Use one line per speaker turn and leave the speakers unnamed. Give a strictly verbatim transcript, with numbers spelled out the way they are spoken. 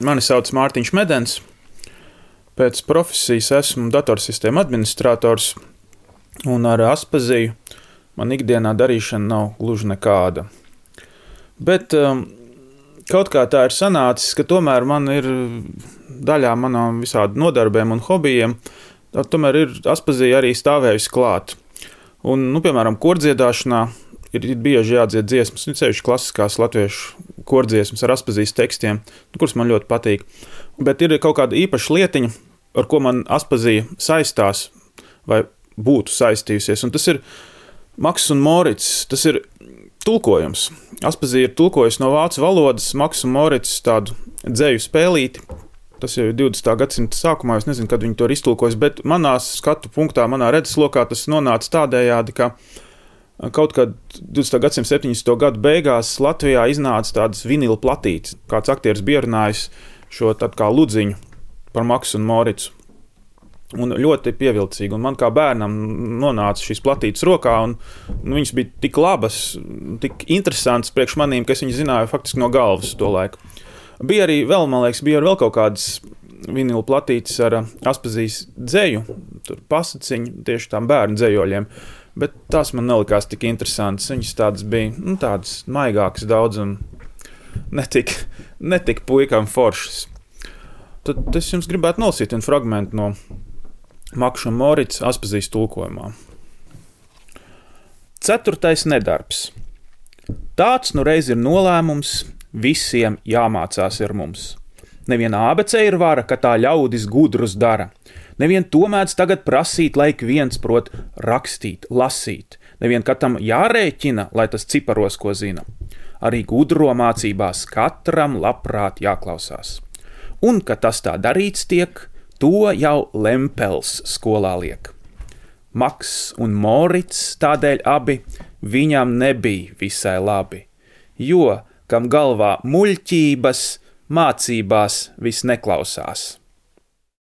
Mani sauc Mārtiņš Medens. Pēc profesijas esmu datorsistēmu administrators, un ar Aspaziju man ikdienā darīšana nav gluži nekāda. Bet um, kaut kā tā ir sanācis, ka tomēr man ir daļā manām visādi nodarbēm un hobijiem, tomēr ir Aspazija arī stāvējusi klāt. Un, nu, piemēram, kordziedāšanā ir bieži jādzied dziesmas, nu, sevišķi klasiskās latviešu kordziesmas ar Aspazijas tekstiem, kuras man ļoti patīk. Bet ir kaut kāda īpaša lietiņa, ar ko man Aspazija saistās vai būtu saistījusies, un tas ir Maks un Morits, tas ir tulkojums. Aspazija ir tulkojusi no vācu valodas Maks un Morits tādu dzeju spēlīti. Tas jau ir divdesmitā gadsimta sākumā, es nezinu, kad viņi to ir iztulkojis, bet manā skatu punktā, manā redzeslokā tas nonāca tādējādi, ka kaut kad divdesmitā gadsimta septiņdesmito gadu beigās Latvijā iznāca tādas vinila platītes. Kāds aktieris bija runājis šo tādu kā ludziņu par Maksu un Moricu. Un ļoti pievilcīgi. Un man kā bērnam nonāca šīs platītes rokā, un nu, viņas bija tik labas, tik interesantas priekš manīm, ka es viņas zināju faktiski no galvas to laiku. Bija arī vēl, man liekas, bija arī vēl kaut kādas vinila platītes ar Aspazijas dzeju, tur pasaciņu, tieši tām bērnu dzejoļiem. Bet tās man nelikās tik interesantas. Viņas tādas bija, nu, tādas maigākas daudz un netik, netik puikām foršas. Tad es jums gribētu nolasīt vienu fragmentu no Makša un Morits Aspazijas tulkojumā. Ceturtais nedarbs. Tāds nu reiz ir nolēmums, visiem jāmācās ir mums. Neviena ābece ir vara, ka tā ļaudis gudrus dara. Nevien to mēdz tagad prasīt, lai ik viens prot rakstīt, lasīt. Nevien katam jārēķina, lai tas ciparos ko zina. Arī gudro mācībās katram labprāt jāklausās. Un, ka tas tā darīts tiek, to jau Lempels skolā liek. Maks un Morits tādēļ abi viņam nebija visai labi, jo, kam galvā muļķības, mācībās vis neklausās.